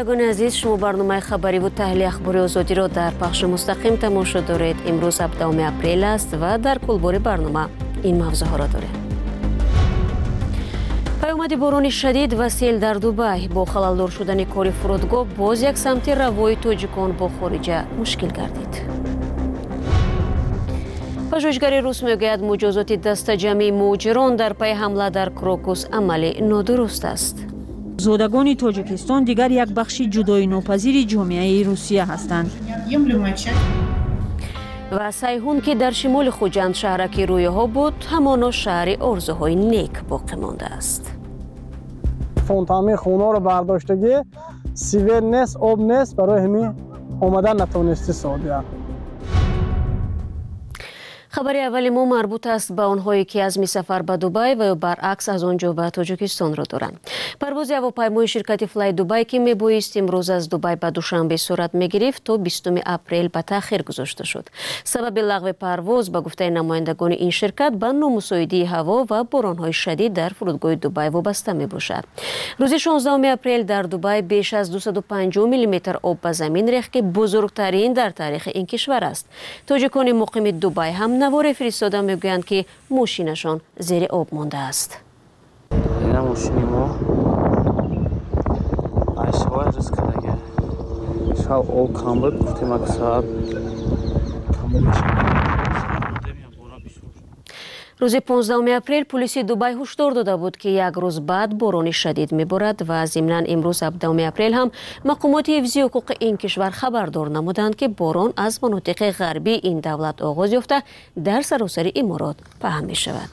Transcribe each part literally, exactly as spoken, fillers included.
Бинандагони азиз, шумо барномаи хабариву таҳлили Ахбори Озодиро дар пахши мустақим тамошо доред. Имрӯз ҳабдаҳуми апрел аст ва дар кулбори барнома ин мавзӯъҳоро дорем. Паёмади борони шадид ва сел дар Дубай, бо халалдор шудани кори фурудгоҳ боз як самти равои тоҷикон бо хориҷа мушкил гардид. Пажӯҳишгари рус мегӯяд, муҷозоти дастаҷамъии муҳоҷирон дар пайи ҳамла дар Крокус амали нодуруст аст. Зодагони Тоҷикистон дигар як бахши ҷудоинопазири ҷомеаи Русия ҳастанд. Ва Сайҳун, ки дар шимоли Хуҷанд шаҳраки рӯёҳо буд, ҳамоно шаҳри орзуҳои нек боқӣ мондааст. Фонтанҳои хонаро бардоштагӣ, свет нест, об нест, барои ҳамин омадан натавонисти содия. Хабари аввали мо марбут аст ба онҳое, ки азми сафар ба Дубай ва ё баръакс аз он ҷо ба Тоҷикистонро доранд. Парвози ҳавопаймои ширкати Флай Дубай, ки мебоист имрӯз аз Дубай ба Душанбе сурат мегирифт, то бистуми апрел ба таъхир гузошта шуд. Сабаби лағви парвоз, ба гуфтаи намояндагони ин ширкат, ба номусоидии ҳаво ва боронҳои шадид дар фурудгоҳи Дубай вобаста мебошад. Рӯзи шонздаҳуми апрел дар Дубай беш аз дусаду панҷоҳ миллиметр об ба замин рехт, ки бузургтарин дар таърихи ин кишвар аст. Тоҷикони муқими Дубай ҳам наворе фиристода мегӯянд, ки мошинашон зери об мондааст. Ина мошини мо айшавай ризқ кардага. Шав об кам буд, гуфтем, ак соат тамом мешавад. Рӯзи понздаҳуми апрел пулиси Дубай ҳушдор дода буд, ки як рӯз баъд борони шадид меборад ва зимнан имрӯз, ҳабдаҳуми апрел, ҳам мақомоти ҳифзи ҳуқуқи ин кишвар хабардор намуданд, ки борон аз манотиқи ғарбии ин давлат оғоз ёфта, дар саросари Иморот паҳн мешавад.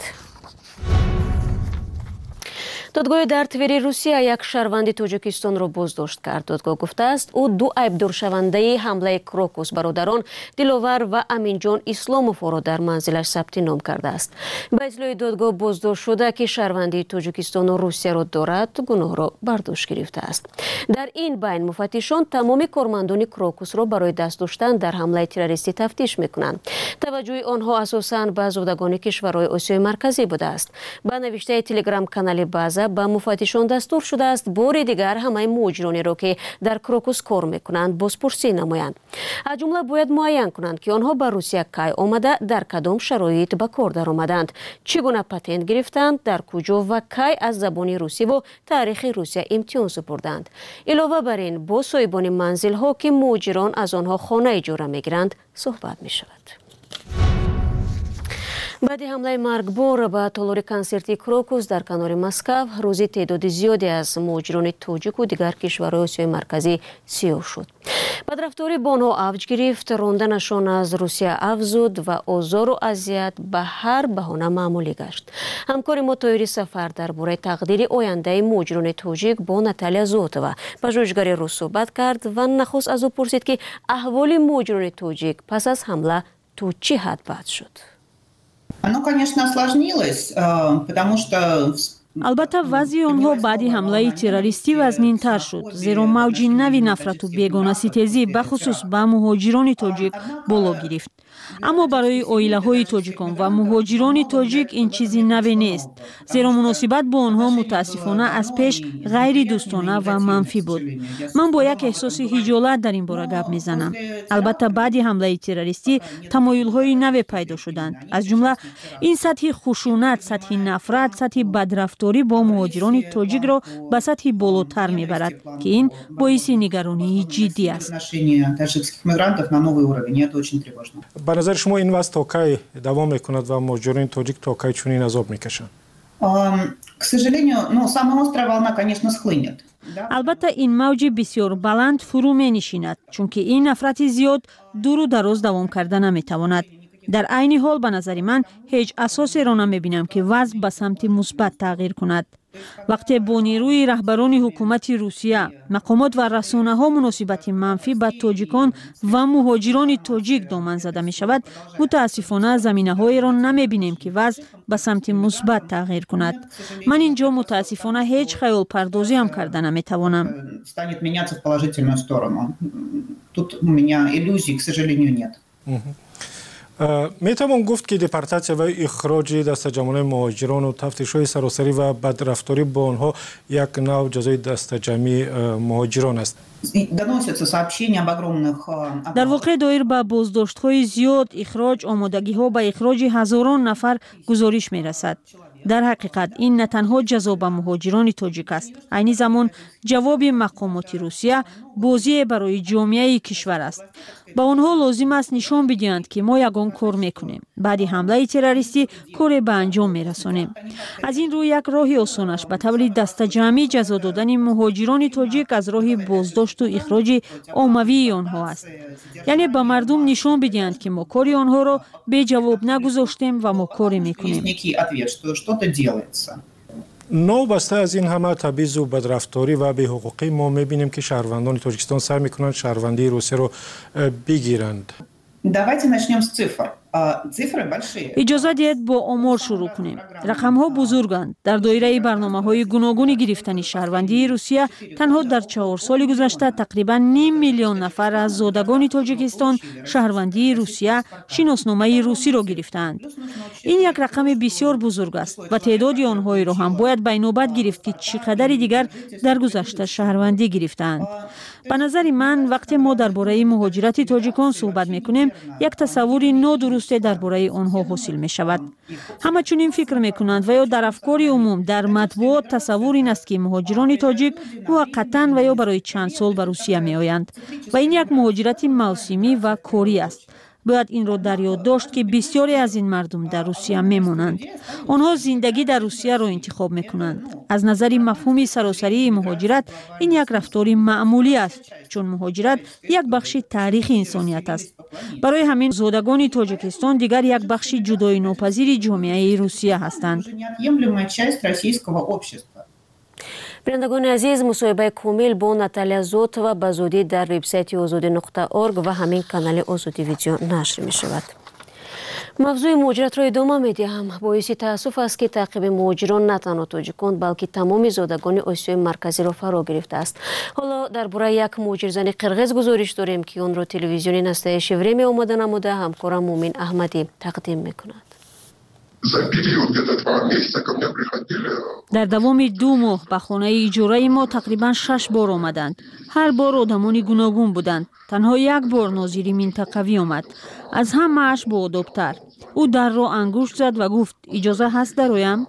Додгоҳи дар Твери Русия як шаҳрванди Тоҷикистонро боздошт кард. Додгоҳ гуфтааст, ӯ ду айбдоршавандаи ҳамлаи Крокус, бародарон Диловар ва Аминҷон Исломовро, дар манзилаш сабти ном кардааст. Ба иттилои додгоҳ, боздоштшуда, ки шаҳрвандии Тоҷикистону Русияро дорад, гуноҳро бар дӯш гирифтааст. Дар ин байн муфаттишон тамоми кормандони Крокусро барои даст доштан дар ҳамлаи террористӣ тафтиш мекунанд. Таваҷҷӯҳи онҳо асосан ба зодагони кишварҳои Осиёи Марказӣ будааст. Ба навиштаи телеграм-канали База, ба муфаттишон дастур шудааст, бори дигар ҳамаи муҳоҷиронеро, ки дар Крокус кор мекунанд, бозпурсӣ намоянд. Аз ҷумла бояд муайян кунанд, ки онҳо ба Русия кай омада, дар кадом шароит ба кор даромаданд, чӣ гуна патент гирифтанд, дар куҷо ва кай аз забони русиву таърихи Русия имтиҳон супурданд. Илова бар ин, бо соҳибони манзилҳо, ки муҳоҷирон аз онҳо хона иҷора мегиранд, суҳбат мешавад. Баъди ҳамлаи маргбор ба толори консертии Крокус дар канори Москав, рӯзи теъдоди зиёде аз муҳоҷирони тоҷику дигар кишварҳои Осиёи Марказӣ сиёҳ шуд. Бадрафторӣ бо онҳо авҷ гирифт, ронданашон аз Русия афзуд ва озору азият ба ҳар баҳона маъмулӣ гашт. Ҳамкори мо Тоҳири Сафар дар бораи тақдири ояндаи муҳоҷирони тоҷик бо Наталия Зотова, пажӯҳишгари рус, суҳбат кард ва нахуст аз ӯ пурсид, ки аҳволи муҳоҷирони тоҷик пас аз ҳамла то чӣ ҳад бад шуд. Оно, конечно, осложнилось, потому что Албатта, вазъи онҳо баъди ҳамлаи террористӣ вазнинтар шуд, зеро мавҷи нави нафрату бегонаситезӣ, бахусус ба муҳоҷирони тоҷик, боло гирифт. Аммо барои оилаҳои тоҷикон ва муҳоҷирони тоҷик ин чизи наве нест, зеро муносибат бо онҳо, мутаассифона, аз пеш ғайридӯстона ва манфӣ буд. Ман бо як эҳсоси ҳиҷолат дар ин бора гап мезанам. Албатта, баъди ҳамлаи террористӣ тамоюлҳои наве пайдо шуданд, аз ҷумла ин сатҳи хушунат, сатҳи нафрат, сатҳи бадрафторӣ бо муҳоҷирони тоҷикро ба сатҳи болотар мебарад, ки ин боиси нигаронии ҷиддӣ аст. Ба назари шумо, ин вазъ то кай давом мекунад ва муҳоҷирони тоҷик то кай чунин азоб мекашанд? К сожалению, ну, самая острая волна, конечно, схлынет. Албатта, ин мавҷи бисёр баланд фурӯ менишинад, чунки ин нафрати зиёд дуру дароз давом карда наметавонад. Дар айни ҳол, ба назари ман, ҳеҷ асосеро намебинам, ки вазъ ба самти мусбат тағйир кунад. Вақте бо нерӯи раҳбарони ҳукумати Русия, мақомот ва расонаҳо муносибати манфӣ ба тоҷикон ва муҳоҷирони тоҷик доман зада мешавад, мутаассифона, заминаҳоеро намебинем, ки вазъ ба самти мусбат тағйир кунад. Ман ин ҷо, мутаассифона, ҳеҷ хаёлпардозиам карда наметавонам. Станет меняться в положительную сторону. Тут у меня иллюзий, к сожалению, нет. Метавон гуфт, ки депортатсия ва ихроҷи дастаҷамъонаи муҳоҷирону тафтишҳои саросарӣ ва бадрафторӣ бо онҳо як нав ҷазои дастаҷамъии муҳоҷирон аст. Дар воқеъ, доир ба боздоштҳои зиёд, ихроҷ, омодагиҳо ба ихроҷи ҳазорон нафар гузориш мерасад. Дар ҳақиқат, ин на танҳо ҷазо ба муҳоҷирони тоҷик аст, айни замон ҷавоби мақомоти Русия бозие барои ҷомеаи кишвар аст. Ба онҳо лозим аст нишон бидиҳанд, ки мо ягон кор мекунем, баъди ҳамлаи террористӣ коре ба анҷом мерасонем. Аз ин рӯ, як роҳи осонаш ба таври дастаҷамъӣ ҷазо додани муҳоҷирони тоҷик аз роҳи боздошту ихроҷи оммавии онҳо аст, яъне ба мардум нишон бидиҳанд, ки мо кори онҳоро беҷавоб нагузоштем ва мо коре мекунем. Новобаста аз ин ҳама табъизу бадрафторӣ ва беҳуқуқӣ, мо мебинем, ки шаҳрвандони Тоҷикистон саъй мекунанд шаҳрвандии Русияро э, бигиранд. Давайте начнем с цифр. Цифры большие. Иҷоза диҳед, бо омор шурӯъ кунем. Рақамҳо бузурганд. Дар доираи барномаҳои гуногуни гирифтани шаҳрвандии Русия танҳо дар чаҳор соли гузашта тақрибан ним миллион нафар аз зодагони Тоҷикистон шаҳрвандии Русия, шиносномаи русиро гирифтаанд. Ин як рақами бисёр бузург аст ва теъдоди онҳоеро ҳам бояд ба инобат гирифт, ки чӣ қадари дигар дар гузашта шаҳрвандӣ гирифтаанд. Ба назари ман, вақте мо дар бораи муҳоҷирати тоҷикон суҳбат мекунем, як тасаввури нодурусте дар бораи онҳо ҳосил мешавад. Ҳама чунин фикр мекунанд ва ё дар афкори умум, дар матбуот тасаввур ин аст, ки муҳоҷирони тоҷик муваққатан ва ё барои чанд сол ба Русия меоянд ва ин як муҳоҷирати мавсимӣ ва корӣ аст. Бояд инро дар ёд дошт, ки бисёре аз ин мардум дар Русия мемонанд. Онҳо зиндагӣ дар Русияро интихоб мекунанд. Аз назари мафҳуми саросарии муҳоҷират ин як рафтори маъмулӣ аст, чун муҳоҷират як бахши таърихи инсоният аст. Барои ҳамин зодагони Тоҷикистон дигар як бахши ҷудоинопазири ҷомеаи Русия ҳастанд. Бинандагони азиз, мусоҳибаи комил бо Наталия Зотова ба зудӣ дар вебсайти озодӣ нуқта орг ва ҳамин канали Озодӣ Видео нашр мешавад. Мавзӯи муҳоҷиратро идома медиҳам. Боиси таассуф аст, ки таъқиби муҳоҷирон на танҳо тоҷикон, балки тамоми зодагони Осиёи Марказиро фаро гирифтааст. Ҳоло дар бораи як муҳоҷирзани қирғиз гузориш дорем, ки онро телевизиони Настоящее время омода намуда, ҳамкорам Мумин Аҳмадӣ тақдим мекунад. За период где-то два месяца ко мне приходили. Дар давоми ду моҳ ба хонаи иҷораи мо тақрибан шаш бор омаданд. Ҳар бор одамони гуногун буданд. Танҳо як бор нозири минтақавӣ омад, аз ҳамааш боодобтар. Ӯ дарро ангушт зад ва гуфт: «Иҷоза ҳаст дароям?»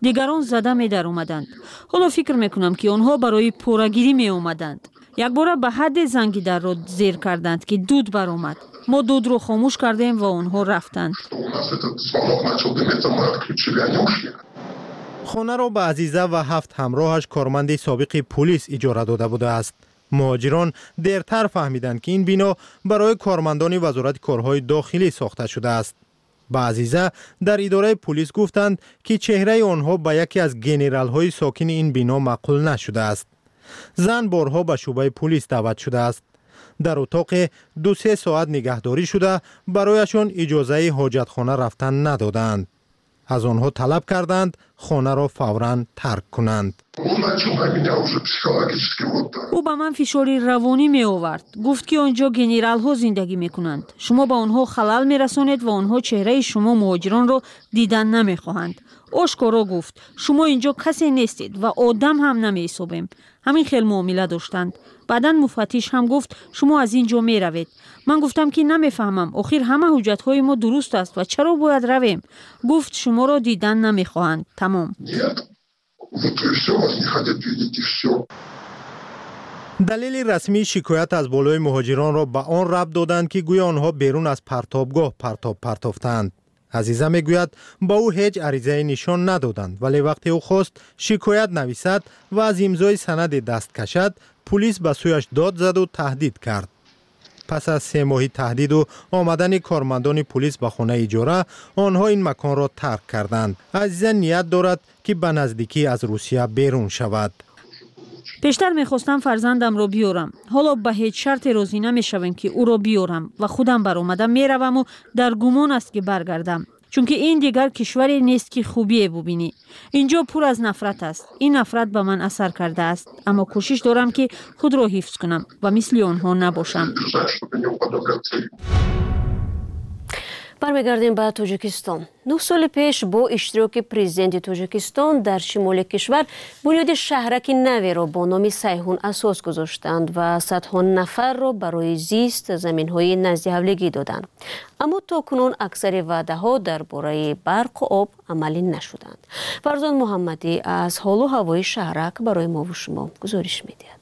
Дигарон зада медаромаданд. Ҳоло фикр мекунам, ки онҳо барои порагирӣ меомаданд. Якбора ба ҳадде занги дарро зер карданд, ки дуд баромад. Мо дудро хомӯш кардем ва онҳо рафтанд. У нас этот звонок начал дымиться, мы отключили, они ушли. Хонаро ба Азиза ва ҳафт ҳамроҳаш корманди собиқи пулис иҷора дода будааст. Муҳоҷирон дертар фаҳмиданд, ки ин бино барои кормандони Вазорати корҳои дохилӣ сохта шудааст. Ба Азиза дар идораи пулис гуфтанд, ки чеҳраи онҳо ба яке аз генералҳои сокини ин бино маъқул нашудааст. Зан борҳо ба шӯъбаи пулис даъват шудааст. Дар утоқе ду-се соат нигаҳдорӣ шуда, барояшон иҷозаи ҳоҷатхона рафтан надоданд. Аз онҳо талаб карданд, хонаро фавран тарк кунанд. Он начал на меня уже психологически вот так. Ӯ ба ман фишори равонӣ меовард. Гуфт, ки он ҷо генералҳо зиндагӣ мекунанд, шумо ба онҳо халал мерасонед ва онҳо чеҳраи шумо муҳоҷиронро дидан намехоҳанд. Ошкоро гуфт: «Шумо ин ҷо касе нестед ва одам ҳам намеҳисобем». Ҳамин хел муомила доштанд. Баъдан муфаттиш ҳам гуфт: «Шумо аз ин ҷо меравед». Ман гуфтам, ки намефаҳмам, охир ҳама ҳуҷҷатҳои мо дуруст аст ва чаро бояд равем? Гуфт: «Шуморо дидан намехоҳанд, тамом». Нет. Вот и все, вас не хотят видеть, и все. Далели расмии шикоят аз болои муҳоҷиронро ба он рабт доданд, ки гӯё онҳо берун аз партобгоҳ партоб партофтаанд. Азиза мегӯяд, ба ӯ ҳеҷ аризае нишон надоданд, вале вақте ӯ хост шикоят нависад ва аз имзои санаде даст кашад, пулис ба сӯяш дод заду таҳдид кард. Пас аз се моҳи таҳдиду омадани кормандони пулис ба хонаи иҷора, онҳо ин маконро тарк карданд. Азиза ният дорад, ки ба наздикӣ аз Русия берун шавад. Пештар мехостам фарзандамро биёрам. Ҳоло ба ҳеҷ шарте розӣ намешавем, ки ӯро биёрам ва худам баромада мераваму дар гумон аст, ки баргардам, чунки ин дигар кишваре нест, ки хубие бубинӣ. Инҷо пур аз нафрат аст. Ин нафрат ба ман асар кардааст, аммо кӯшиш дорам, ки худро ҳифз кунам ва мисли онҳо набошам. Держать, чтобы не уподобляться им. Бармегардем ба Тоҷикистон. Нӯҳ соли пеш бо иштироки президенти Тоҷикистон дар шимоли кишвар бунёди шаҳраки наверо бо номи Сайҳун асос гузоштанд ва садҳо нафарро барои зист заминҳои наздиҳавлигӣ доданд. Аммо то кунун аксари ваъдаҳо дар бораи барқу об амалӣ нашуданд. Фарзон Муҳаммадӣ аз ҳолу ҳавои шаҳрак барои мову шумо гузориш медиҳад.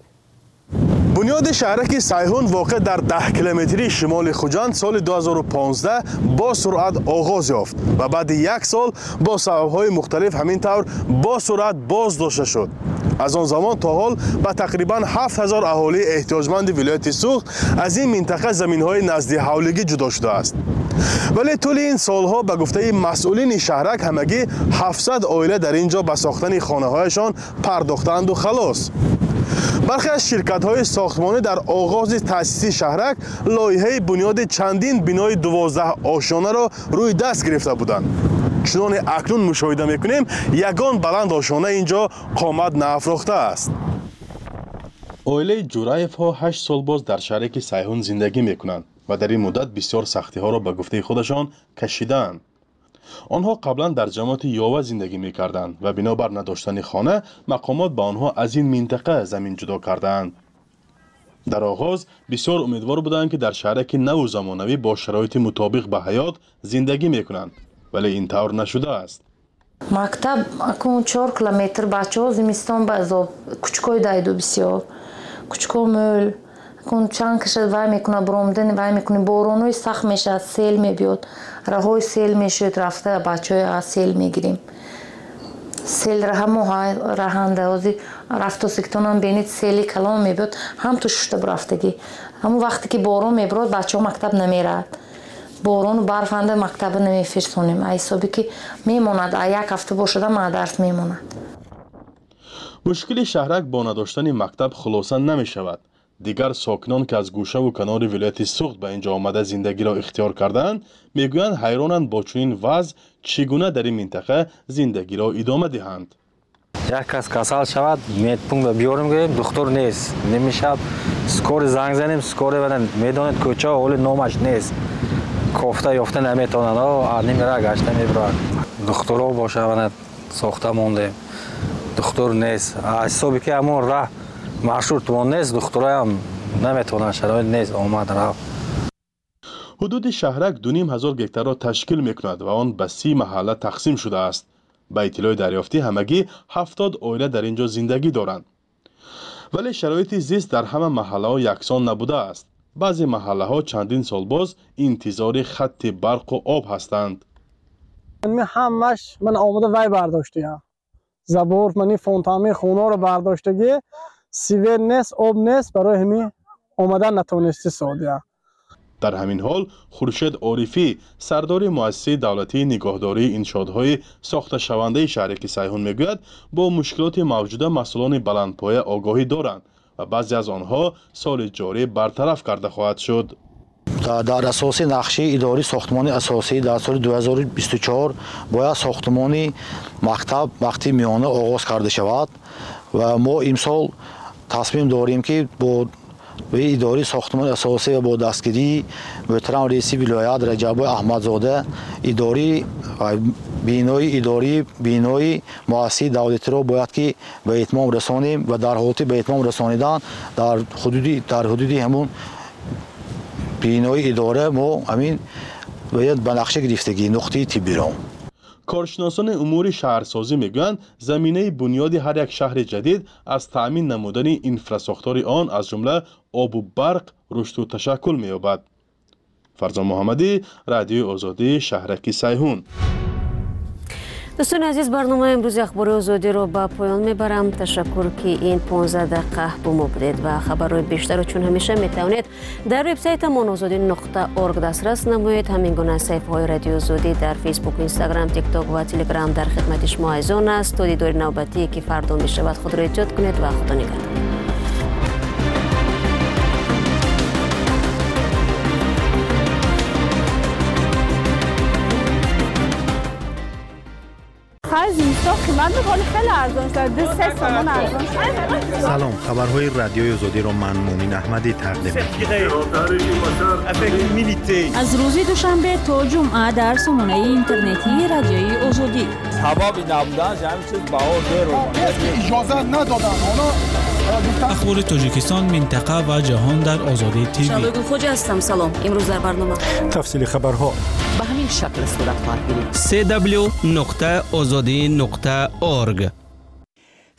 Бунёди шаҳраки Сайҳун воқеъ дар даҳ километрии шимоли Хуҷанд соли ду ҳазору понздаҳ бо суръат оғоз ёфт ва баъди як сол бо сабабҳои мухталиф ҳамин тавр бо суръат боздошта шуд. Аз он замон то ҳол ба тақрибан ҳафт ҳазор аҳолии эҳтиёҷманди вилояти Суғд аз ин минтақа заминҳои наздиҳавлигӣ ҷудо шудааст. Вале тӯли ин солҳо ба гуфтаи масъулини шаҳрак ҳамагӣ ҳафтсад оила дар ин ҷо ба сохтани хонаҳояшон пардохтаанду халос. Бархе аз ширкатҳои сохтмонӣ дар оғози таъсиси шаҳрак лоиҳаи бунёди чандин бинои дувоздаҳ ошёнаро рӯи даст гирифта буданд. Чуноне акнун мушоҳида мекунем, ягон баланд ошёна ин ҷо қомат наафрохтааст. Оилаи Ҷураевҳо ҳашт сол боз дар шаҳраки Сайҳун зиндагӣ мекунанд ва дар ин муддат бисёр сахтиҳоро ба гуфтаи худашон кашидаанд. Онҳо қаблан дар ҷамоати Ёва зиндагӣ мекарданд ва бинобар надоштани хона мақомот ба онҳо аз ин минтақа замин ҷудо кардаанд. Дар оғоз бисёр умедвор буданд, ки дар шаҳраки наву замонавӣ бо шароити мутобиқ ба ҳаёт зиндагӣ мекунанд, вале ин тавр нашудааст. Мактаб акун чор километр, бачаҳо зимистон ба азоб, кучкои дайду бисёр, кучко мӯл, акун чанд кашад вай мекунад, буромдан вай мекунад, боронои сахт мешавад, сел мебиёд, раҳои сел мешуд, рафта бачаҳои аз сел мегирем. Сел раҳамо раҳанда, ҳозир рафтосиктонам бинед сели калон мебиёд, ҳам ту шушта бурафтагӣ. Ҳамон вақте ки борон мебирод, бачаҳо мактаб намеравад. Борону барфанда мактаба намефирсонем, аз ҳисоби ки мемонад, а як ҳафта бошада мадарс мемонад. Мушкили шаҳрак бо надоштани мактаб хулоса намешавад. Дигар сокинон, ки аз гӯшаву канори вилояти Суғд ба ин ҷо омада зиндагиро ихтиёр кардаанд, мегӯянд ҳайронанд бо чунин вазъ чӣ гуна дар ин минтақа зиндагиро идома диҳанд. Як кас касал шавад, медпункт биёрем, гӯем духтур нест, немешавад, скори занг занем, скори медонед кӯча ҳоли номаш нест, кофта ёфта наметавонанд, нимра гашта мебарад. Духтуро бошаванд сохта мондем, духтур нест, аз ҳисоби ки ҳамон раҳ маршрутмон нест, духтуроям наметавонанд, шароит нест, омад рафт. Ҳудуди шаҳрак ду ним ҳазор гектарро ташкил мекунад ва он ба си маҳалла тақсим шудааст. Ба иттилои дарёфтӣ ҳамагӣ ҳафтод оила дар ин ҷо зиндагӣ доранд. Вале шароити зист дар ҳама маҳаллаҳо яксон набудааст. Баъзе маҳаллаҳо чандин сол боз интизори хатти барқу об ҳастанд. Ҳамаш ман омода вай бардоштаям. Забор мани фонтанми хонаро бардоштагӣ, свет нест, об нест, барои ҳамин омадан натавонисти содия. Дар ҳамин ҳол Хуршед Орифӣ, сардори муассисаи давлатии нигоҳдории иншоотҳои сохташавандаи шаҳраки Сайҳун мегӯяд, бо мушкилоти мавҷуда масъулони баландпоя огоҳӣ доранд ва баъзе аз онҳо соли ҷорӣ бартараф карда хоҳад шуд. Дар асоси нақшаи идории сохтмони асосӣ дар соли ду ҳазору бисту чор бояд сохтмони мактаб вақти миёна оғоз карда шавад ва мо имсол тасмим дорем, ки бо идораи сохтмони асосӣ ва бо дастгирии муҳтарам раиси вилоят Раҷаббой Аҳмадзода идораи бинои идории бинои муассисаи давлатиро бояд ки ба итмом расонем ва дар ҳолати ба итмом расонидан дар ҳудуди дар ҳудуди ҳамун бинои идора мо ҳамин бояд ба нақша гирифтагӣ нуқтаи тиббиро. Коршиносони умури шаҳрсозӣ мегӯянд, заминаи бунёди ҳар як шаҳри ҷадид аз таъмин намудани инфрасохтори он аз ҷумла обу барқ рушду ташаккул меёбад. Фарзон Муҳаммадӣ, Радиои Озодӣ, шаҳраки Сайҳун. Дӯстони азиз, барномаи имрӯзи Ахбори Озодиро ба поён мебарам. Ташаккур, ки ин понздаҳ дақиқа бо мо будед ва хабарҳои бештарро чун ҳамеша метавонед дар вебсайтамон озодӣ нуқта орг дастрас намоед. Ҳамин гуна саҳифаҳои Радиои Озодӣ дар Фейсбук, Инстаграм, Тикток ва Телеграм дар хидмати шумо азизон аст. То дидори навбатие ки фардо мешавад, худро эҳтиёт кунед ва худо нигаҳдор. Зимистон قیمت میکنه خیلی ارزان شده، دو سه سومون ارزان شده. سلام، خبرهای رادیوی озодиро ман Мумин Аҳмадӣ тақдим мекунам. Аз рӯзи душанбе то ҷумъа дар сомонаи интернетии Радиои Озодӣ. Сабаби набуданаш ҳамин чиз баҳо дер. Иҷозат надоданд оно. Ахбори Тоҷикистон, минтақа ва ҷаҳон дар Озодӣ ТВ. Шаҳлои Гулхоҷа ҳастам. Салом. Имрӯз дар барнома тафсили хабарҳо ба ҳамин шакл сурат хоҳад гирифт. си дабл ю нуқта озодӣ нуқта орг.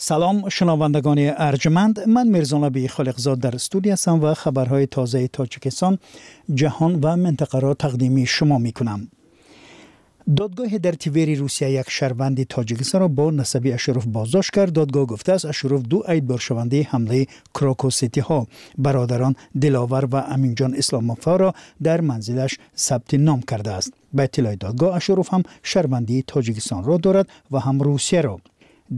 Салом, шунавандагони арҷманд. Ман Мирзонаби Холиқзод дар студия ҳастам ва хабарҳои тозаи Тоҷикистон, ҷаҳон ва минтақаро тақдими шумо мекунам. Додгоҳе дар Твери Русия як шаҳрванди Тоҷикистонро бо насаби Ашуров боздошт кард. Додгоҳ гуфтааст, Ашуров ду айбдоршавандаи ҳамлаи Крокус Ситиҳо, бародарон Диловар ва Аминҷон Исломовҳоро дар манзилаш сабти ном кардааст. Ба иттилои додгоҳ, Ашуров ҳам шаҳрвандии Тоҷикистонро дорад ва ҳам Русияро.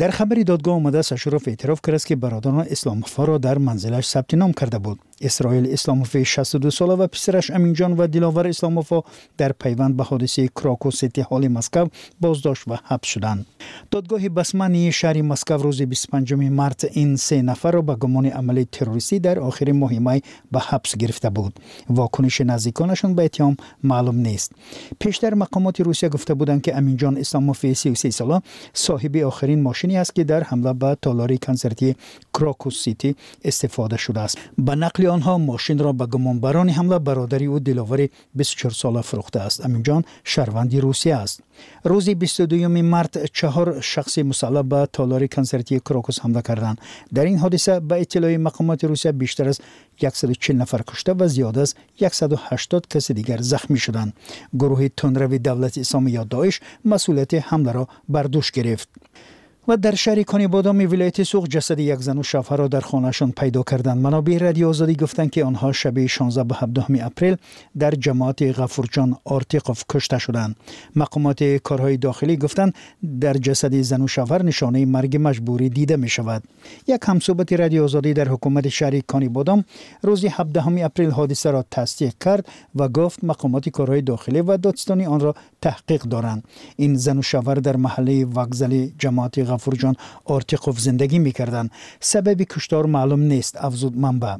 Дар хабари додгоҳ омадааст, Ашуров эътироф кардааст, ки бародарон Исломовҳоро дар манзилаш сабти ном карда буд. Исроил Исломов шасту ду сола ва писараш Аминҷон ва Диловар Исломовҳо дар пайванд ба ҳодисаи Крокус Сити ҳоли Москав боздошт ва ҳабс шуданд. Додгоҳи Басмании шаҳри Москав рӯзи бисту панҷуми март ин се нафарро ба гумони амали террористӣ дар охири моҳи май ба ҳабс гирифта буд. Вокуниши наздиконашон ба иттиҳом маълум нест. Пештар мақомоти Русия гуфта буданд, ки Аминҷон Исломов сию се сола соҳиби охирин мошине аст, ки дар ҳамла ба толори консертии Крокус Сити истифода шудааст. Ба нақли онҳо, мошинро ба гумонбарони ҳамла бародари ӯ Диловари бисту чор сола фурӯхтааст. Аминҷон шаҳрванди Русия аст. Рӯзи бисту дуюми март чаҳор шахси мусаллаҳ ба толори консертии Крокус ҳамла карданд. Дар ин ҳодиса ба иттилои мақомоти Русия бештар аз яксаду чил нафар кушта ва зиёд аз яксаду ҳаштод каси дигар захмӣ шуданд. Гурӯҳи тундрави Давлати Исломӣ ё Доиш масъулияти ҳамларо бар дӯш гирифт. Ва дар шаҳри Конибодоми вилояти Суғд ҷасади як зану шавҳарро дар хонаашон пайдо карданд. Манобеи Радиои Озодӣ гуфтанд, ки онҳо шаби шонздаҳ ба ҳабдаҳуми апрел дар ҷамоати Ғафурҷон Ортиқов кушта шуданд. Мақомоти корҳои дохилӣ гуфтанд, дар ҷасади зану шавҳар нишонаи марги маҷбурӣ дида мешавад. Як ҳамсӯҳбати Радиои Озодӣ дар ҳукумати шаҳри Конибодом рӯзи ҳабдаҳуми апрел ҳодисаро тасдиқ кард ва гуфт, мақомоти корҳои дохилӣ ва додситонӣ онро таҳқиқ доранд. Ин зану шавҳар дар маҳаллаи вокзали ҷамоати Ғафурҷон Ортиқов зиндагӣ мекарданд. Сабаби куштор маълум нест, афзуд манбаъ.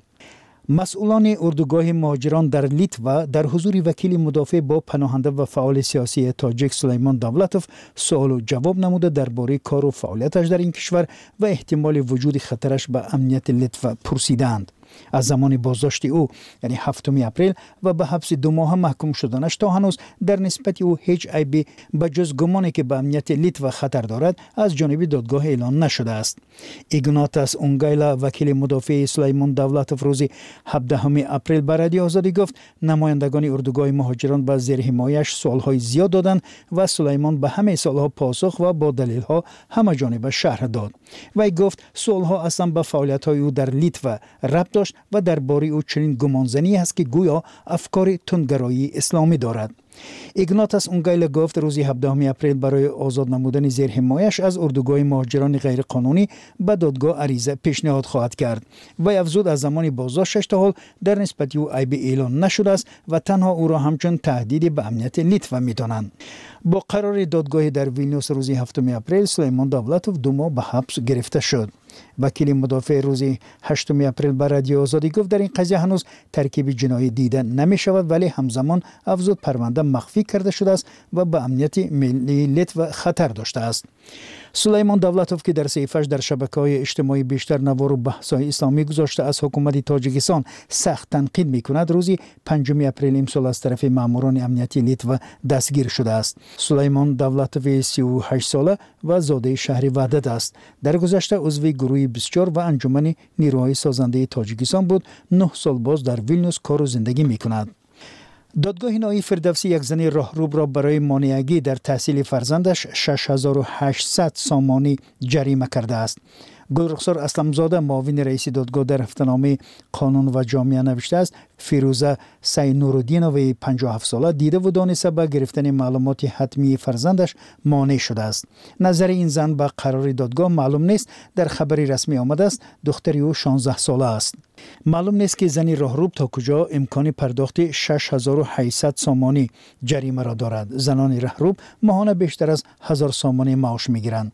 Масъулони урдугоҳи муҳоҷирон дар Литва дар ҳузури вакили мудофеъ бо паноҳанда ва фаъоли сиёсии тоҷик Сулаймон Давлатов суолу ҷавоб намуда дар бораи кору фаъолияташ дар ин кишвар ва эҳтимоли вуҷуди хатараш ба амнияти Литва пурсидаанд. Аз замони боздошти ӯ, яъне ҳафтуми апрел, ва ба ҳабси думоҳа маҳкум шуданаш то ҳанӯз дар нисбати ӯ ҳеҷ айбе ба ҷуз гумоне ки ба амнияти Литва хатар дорад аз ҷониби додгоҳ эълон нашудааст. Игнатас Унгайла, вакили мудофеи Сулаймон Давлатов, рӯзи ҳабдаҳуми апрел ба Радиои Озодӣ гуфт, намояндагони урдугоҳи муҳоҷирон ба зерҳимояш суолҳои зиёд доданд ва Сулаймон ба ҳамаи суолҳо посух ва бо далелҳо ҳамаҷониба шарҳ дод. Вай гуфт, суолҳо аслан ба фаъолиятҳои ӯ дар Литва рабт дошт ва дар бораи ӯ чунин гумонзанӣ ҳаст, ки гӯё афкори тундгароии исломӣ дорад. Игнатас Унгайла гуфт, рӯзи ҳабдаҳуми апрел барои озод намудани зерҳимояш аз урдугоҳи муҳоҷирони ғайриқонунӣ ба додгоҳ ариза пешниҳод хоҳад кард. Вай афзуд, аз замони боздошташ то ҳол дар нисбати ӯ айби эълон нашудааст ва танҳо ӯро ҳамчун таҳдиде ба амнияти Литва медонанд. Бо қарори додгоҳи дар Вилнюс рӯзи ҳафтуми апрел Сулаймон Давлатов ду моҳ ба ҳабс гирифта шуд. Вакили мудофеъ рӯзи ҳаштуми апрел ба Радиои Озодӣ гуфт, дар ин қазия ҳанӯз таркиби ҷиноӣ дида намешавад, вале ҳамзамон афзуд, парванда махфӣ карда шудааст ва ба амнияти миллии Литва хатар доштааст. Сулаймон Давлатов, ки дар саҳифааш дар шабакаҳои иҷтимоӣ бештар навору баҳсҳои исломӣ гузошта аз ҳукумати Тоҷикистон сахт танқид мекунад, рӯзи панҷуми апрел имсол аз тарафи маъмурони амнияти Литва дастгир шудааст. Сулаймон Давлатов сию ҳашт сола ва зодаи шаҳри Ваҳдат аст. Дар гузашта узви гурӯҳи бисту чор ва анҷумани нерӯҳои созандаи Тоҷикистон буд. Нӯҳ сол боз дар Вилнюс кору зиндагӣ мекунад. Додгоҳи ноҳияи Фирдавсӣ як зани роҳрубро барои монеагӣ дар таҳсили фарзандаш шаш ҳазору ҳаштсад сомонӣ ҷарима кардааст. Гулрухсор Асламзода, муовини раиси додгоҳ, дар ҳафтаномаи «Қонун ва ҷомеа» навиштааст, Фирӯза Сайнуруддиноваи панҷоҳу ҳафт сола дидаву дониста ба гирифтани маълумоти ҳатмии фарзандаш монеъ шудааст. Назари ин зан ба қарори додгоҳ маълум нест. Дар хабари расмӣ омадааст, духтари ӯ шонздаҳ сола аст. Маълум нест, ки зани роҳруб то куҷо имкони пардохти шаш ҳазору ҳаштсад сомонӣ ҷаримаро дорад. Занони раҳруб моҳона бештар аз ҳазор сомонӣ маош мегиранд.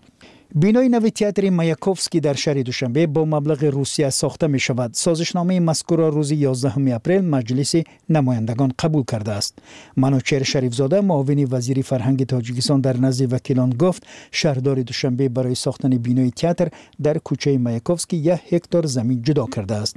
Бинои нави театри Маяковский дар шаҳри Душанбе бо маблағи Русия сохта мешавад. Созишномаи мазкурро рӯзи ёздаҳуми апрел Маҷлиси намояндагон қабул кардааст. Манучер Шарифзода, муовини вазири фарҳанги Тоҷикистон дар назди вакилон гуфт, шаҳрдори Душанбе барои сохтани бинои театр дар кӯчаи Маяковский як ҳектор замин ҷудо кардааст.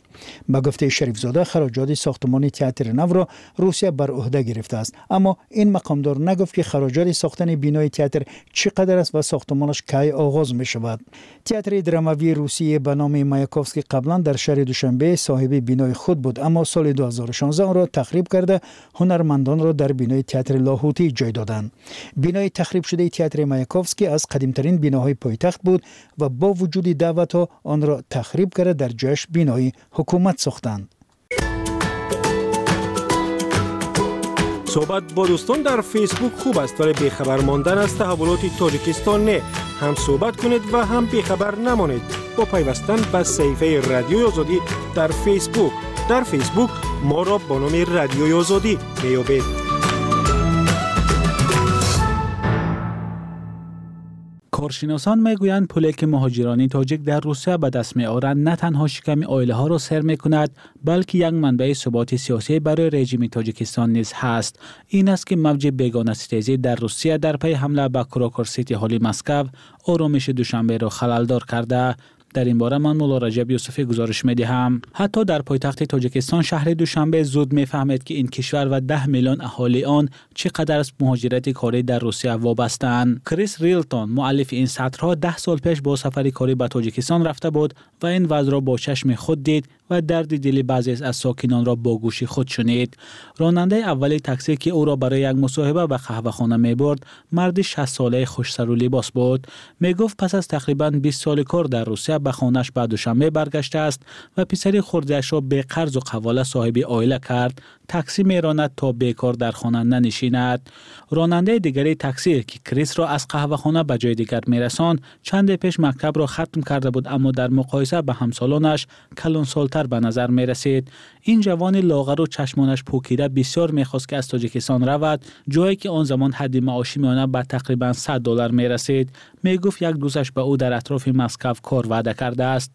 Ба гуфтаи Шарифзода, хароҷоти сохтмони театри навро Русия бар уҳда гирифтааст. Аммо ин мақомдор нагуфт, ки хароҷоти сохтани бинои театр чӣ қадар аст ва сохтмонаш кай оғоз мешавад. Театри драмавии Русия ба номи Маяковский қаблан дар шаҳри Душанбе соҳиби бинои худ буд, аммо соли ду ҳазору шонздаҳ онро тахриб карда, ҳунармандонро дар бинои театри Лоҳутӣ ҷой доданд. Бинои тахрибшудаи театри Маяковский аз қадимтарин биноҳои пойтахт буд ва бо вуҷуди даъватҳо онро тахриб карда дар ҷояш бинои ҳукумат сохтанд. Суҳбат бо дӯстон дар Фейсбук хуб аст, вале бехабар мондан аз таҳаввулоти Тоҷикистон не. Ҳам суҳбат кунед ва ҳам бехабар намонед бо пайвастан ба саҳифаи Радиои Озодӣ дар Фейсбук. Дар Фейсбук моро бо номи Радиои Озодӣ меёбед. Коршиносон мегӯянд, пуле ки муҳоҷирони тоҷик дар Русия ба даст меоранд, на танҳо шиками оилаҳоро сер мекунад, балки як манбаи суботи сиёсӣ барои режими Тоҷикистон низ ҳаст. Ин аст ки мавҷи бегонаситезӣ дар Русия дар пайи ҳамла ба Крокус Сити Ҳоли Москав оромиши Душанберо халалдор карда. Дар ин бора ман Мулло Раҷаб Юсуфӣ гузориш медиҳам. Ҳатто дар пойтахти Тоҷикистон, шаҳри Душанбе, зуд мефаҳмед, ки ин кишвар ва даҳ миллион аҳолии он чӣ қадар аз муҳоҷирати корӣ дар Русия вобастаанд. Крис Рилтон, муаллифи ин сатрҳо, даҳ сол пеш бо сафари корӣ ба Тоҷикистон рафта буд ва ин вазъро бо чашми худ дид ва дарди дили баъзе аз сокинонро бо гӯши худ шунид. Ронандаи аввали таксӣ, ки ӯро барои як мусоҳиба ба қаҳвахона мебурд, марди шастсолаи хушсару либос буд. Мегуфт, пас аз тақрибан бист соли кор дар Русия ба хонааш ба Душанбе баргаштааст ва писари хурдиашро бе қарзу қавола соҳиби оила кард. Таксӣ меронад то бекор дар хона нанишинад. Ронандаи дигари таксӣ, ки Крисро аз қаҳвахона ба ҷои дигар мерасонд, чанде пеш мактабро хатм карда буд, аммо дар муқоиса ба ҳамсолонаш калонсолтар ба назар мерасид. Ин ҷавони лоғару чашмонаш пӯкида бисёр мехост, ки аз Тоҷикистон равад, ҷое ки он замон ҳадди маоши миёна ба тақрибан сад доллар мерасид. Мегуфт, як дӯсташ ба ӯ дар атрофи Москав кор ваъда кардааст.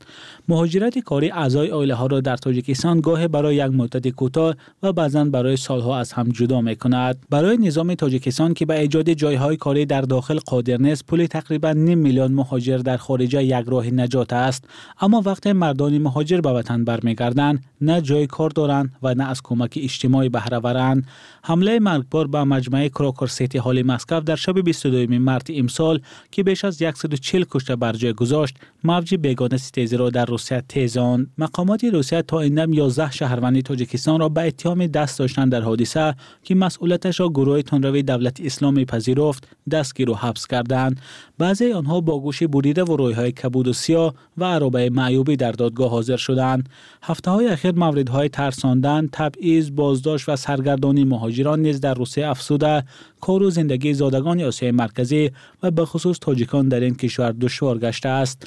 Муҳоҷирати корӣ аъзои оилаҳоро дар Тоҷикистон гоҳе барои як муддати кӯтоҳ ва баъзан барои солҳо аз ҳам ҷудо мекунад. Барои низоми Тоҷикистон, ки ба эҷоди ҷойҳои корӣ дар дохил қодир нест, пули тақрибан ним миллион муҳоҷир дар хориҷа як роҳи наҷот аст. Аммо вақте мардони муҳоҷир ба ватан бармегарданд, на ҷои кор доранд ва на аз кӯмаки иҷтимоӣ баҳраваранд. Ҳамлаи маргбор ба маҷмӯаи Крокус Сити Ҳоли Москав дар шаби бисту дуюми марти имсол, ки беш аз яксаду чил кушта бар ҷой гузошт, мавҷи бегонаситезиро дар Русия тезонд. Мақомоти Русия то ин дам ёздаҳ шаҳрванди Тоҷикистонро ба иттиҳоми даст доштан дар ҳодиса, ки масъулияташро гурӯҳи тундрави давлати исломӣ пазируфт, дастгиру ҳабс карданд. Баъзеи онҳо бо гӯши бурида ва рӯйҳои кабуду сиёҳ ва аробаи маъюбӣ дар додгоҳ ҳозир шуданд. Ҳафтаҳои ахир мавридҳои тарсондан, табъиз, боздошт ва саргардонии муҳоҷирон низ дар Русия афзуда, кору зиндагии зодагони Осиёи Марказӣ ва ба хусус тоҷикон дар ин кишвар душвор гаштааст.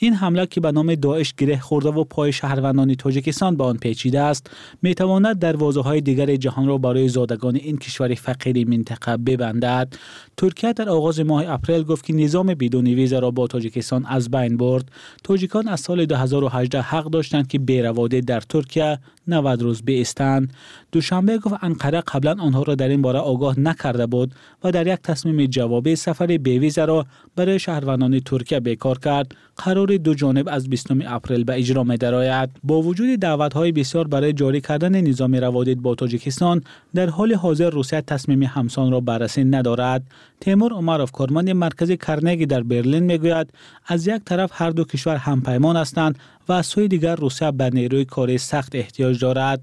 Ин ҳамла, ки ба номи Доиш гиреҳ хӯрда ва пои шаҳрвандони Тоҷикистон ба он печидааст, метавонад дарвозаҳои дигари ҷаҳонро барои зодагони ин кишвари фақири минтақа бибандад. Туркия дар оғози моҳи апрел гуфт, ки низоми бидуни визаро бо Тоҷикистон аз байн бурд. Тоҷикон аз соли ду ҳазору ҳаждаҳ ҳақ доштанд, ки бераводид дар Туркия навад рӯз биистанд. Душанбе гуфт, Анқара қаблан онҳоро дар ин бора огоҳ накарда буд ва дар як тасмими ҷавобӣ сафари бевизаро барои шаҳрвандони Туркия бекор кард. Қарори ду ҷониб аз бистуми апрел ба иҷро медарояд. Бо вуҷуди даъватҳои бисёр барои ҷорӣ кардани низоми раводид бо Тоҷикистон, дар ҳоли ҳозир Русия тасмими ҳамсонро баррасӣ надорад. Темур Умаров, корманди маркази Карнеги дар Берлин, мегӯяд, аз як тараф ҳар ду кишвар ҳампаймон ҳастанд ва аз сӯи дигар Русия ба нерӯи корӣ сахт эҳтиёҷ дорад.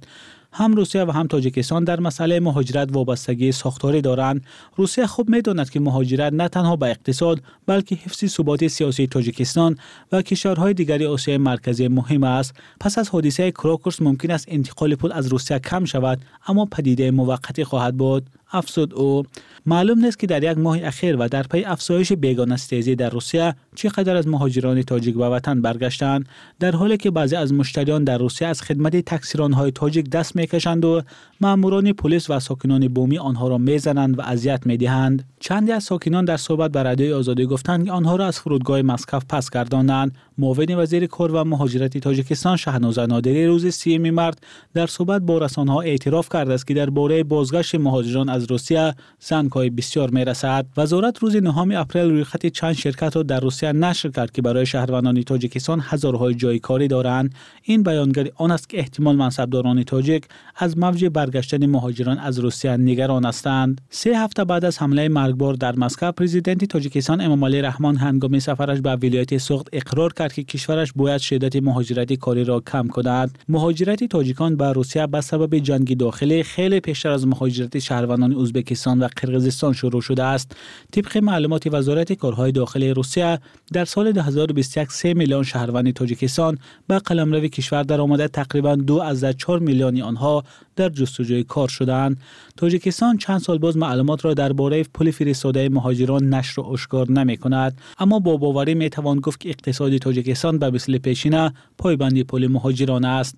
Ҳам Русия ва ҳам Тоҷикистон дар масъалаи муҳоҷират вобастагии сохторӣ доранд. Русия хуб медонад, ки муҳоҷират на танҳо ба иқтисод, балки ҳифзи суботи сиёсии Тоҷикистон ва кишварҳои дигари Осиёи Марказӣ муҳим аст. Пас аз ҳодисаи Крокус мумкин аст интиқоли пул аз Русия кам шавад, аммо падидаи муваққатӣ хоҳад буд. Афзуд ӯ. Маълум нест, ки дар як моҳи ахир ва дар пайи афзоиши бегонаситезӣ дар Русия чӣ қадар аз муҳоҷирони тоҷик ба ватан баргаштанд, дар ҳоле ки баъзе аз муштариён дар Русия аз хидмати таксиронҳои тоҷик даст мекашанд ва маъмурони полис ва сокинони бумӣ онҳоро мезананд ва азият медиҳанд. Чанде аз сокинон дар суҳбат ба Радиои Озодӣ гуфтанд, ки онҳоро аз фурудгоҳи Москва пас гардонданд. Муовини вазири кор ва муҳоҷирати Тоҷикистон Шаҳноза Нодирӣ рӯзи сиюми март дар суҳбат бо расонаҳо эътироф кардааст, ки дар бораи бозгашти муҳоҷирон аз Русия зангҳои бисёр мерасад. Вазорат рӯзи нӯҳуми апрел рӯйхати чанд ширкатро дар Русия нашр кард, ки барои шаҳрвандони Тоҷикистон ҳазорҳои ҷойи корӣ доранд. Ин баёнгари он аст, ки эҳтимол мансабдорони тоҷик аз мавҷи баргаштани муҳоҷирон аз Русия нигарон ҳастанд. Се ҳафта баъд аз ҳамлаи маргбор дар Москва, президенти Тоҷикистон Эмомалӣ Раҳмон ҳангоми сафараш ба вилояти Суғд иқрор кард, ки кишвараш бояд шиддати муҳоҷирати кориро кам кунад. Муҳоҷирати тоҷикон ба Русия ба сабаби ҷанги дохилӣ хеле пештар аз муҳоҷирати шаҳрвандони Ӯзбекистон ва Қирғизистон шурӯъ шудааст. Тибқи маълумоти Вазорати корҳои дохилии Русия, дар соли ду ҳазору бисту як се миллион шаҳрванди Тоҷикистон ба қаламрави кишвар даромада, тақрибан ду аз чор миллиони онҳо дар ҷустуҷӯи кор шудаанд. Тоҷикистон чанд сол боз маълумотро дар бораи пули фиристодаи муҳоҷирон нашр ва ошкор намекунад, аммо бо боварӣ метавон гуфт, ки иқтисоди Тоҷикистон ба мисли пешина пойбанди пули муҳоҷирон аст.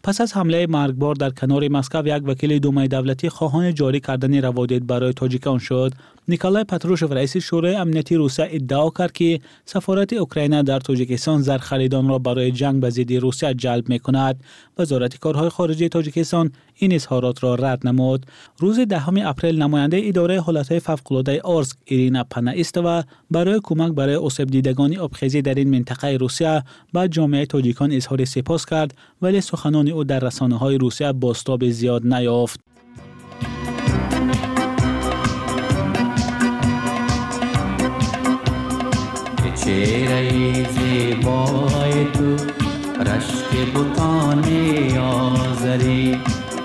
Пас аз ҳамлаи маргбор дар канори Москва, як вакили Думаи давлатӣ хоҳони ҷорӣ кардани раводид барои тоҷикон шуд. Николай Патрушев, раиси Шӯрои амнияти Русия, иддао кард, ки сафорати Украина дар Тоҷикистон зархаридонро барои ҷанг ба зидди Русия ҷалб мекунад. Вазорати корҳои хориҷии Тоҷикистон ин изҳоротро рад намуд. Рӯзи даҳуми апрел намояндаи идораи ҳолатҳои фавқулодаи Орск Ирина Панаистова барои кӯмак барои осебдидагони обхезӣ дар ин минтақаи Русия ба ҷомеаи тоҷикон изҳори сипос кард, вале суханони ӯ дар расонаҳои Русия бозтоби зиёд наёфт. چهره زیبای تو رشک بتان آذری،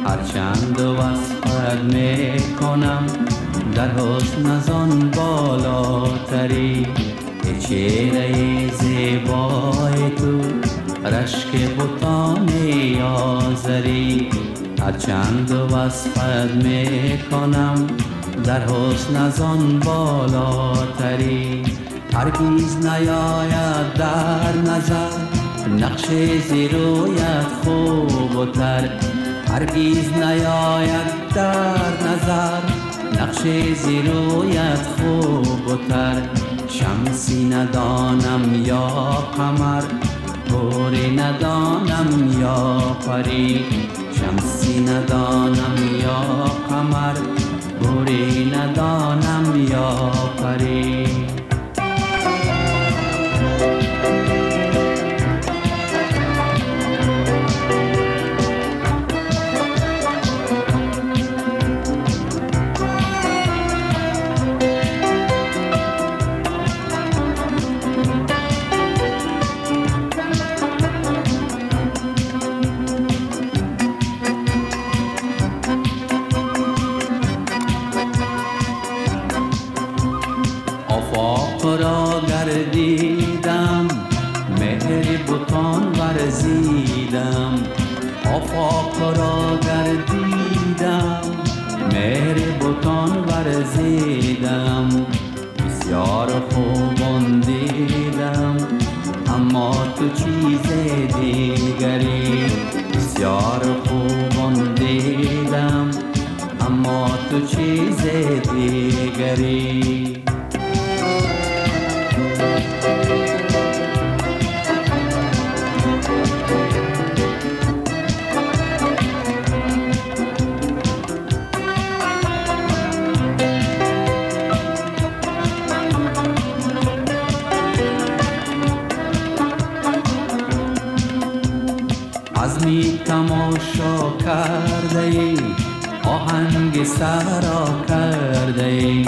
هرچند وصفت میکنم در حسن از آن بالاتری. چهره زیبای تو رشک بتان آذری، هرچند وصفت میکنم در حسن از آن بالاتری. هرگز نیاید در نظر نقش زیرویت خوبتر، هرگز نیاید در نظر نقش زیرویت خوبتر. شمسی ندانم یا قمر، حوری ندانم یا پری، شمسی ندانم یا قمر، حوری ندانم یا پری. آفاق را گردیدم، مهر بتان ورزیدم، بسیار خوبان دیدم اما تو چیز دیگری، بسیار خوبان دیدم اما تو چیز دیگری. می تماشا کرده ای، آهنگ سرا کرده ای،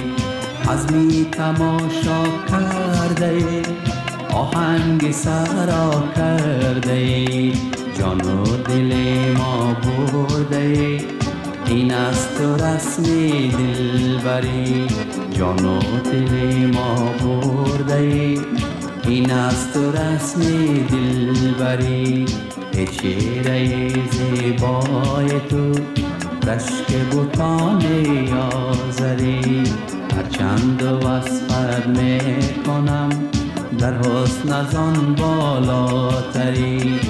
از می تماشا کرده ای، آهنگ سرا کرده ای، جان و دل ما برده ای، این است رسم دلبری، جان و دل ما برده ای، این است رسم دلبری. چهره زیبای تو رشک بتان آذری. هرچند وصفت میکنم در حسن از آن بالاتری،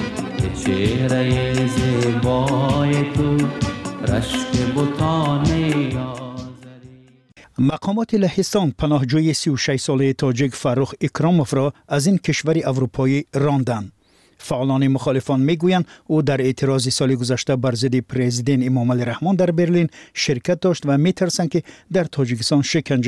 چهره زیبای تو رشک بتان. Мақомоти Лаҳистон паноҳҷӯи сию шаш солаи тоҷик Фаррух Икромовро аз ин кишвари аврупоӣ ронданд. Фаъолони мухолифон мегӯянд, ӯ дар эътирози соли гузашта бар зидди президент Эмомалӣ Раҳмон дар Берлин ширкат дошт ва метарсанд, ки дар Тоҷикистон шиканҷа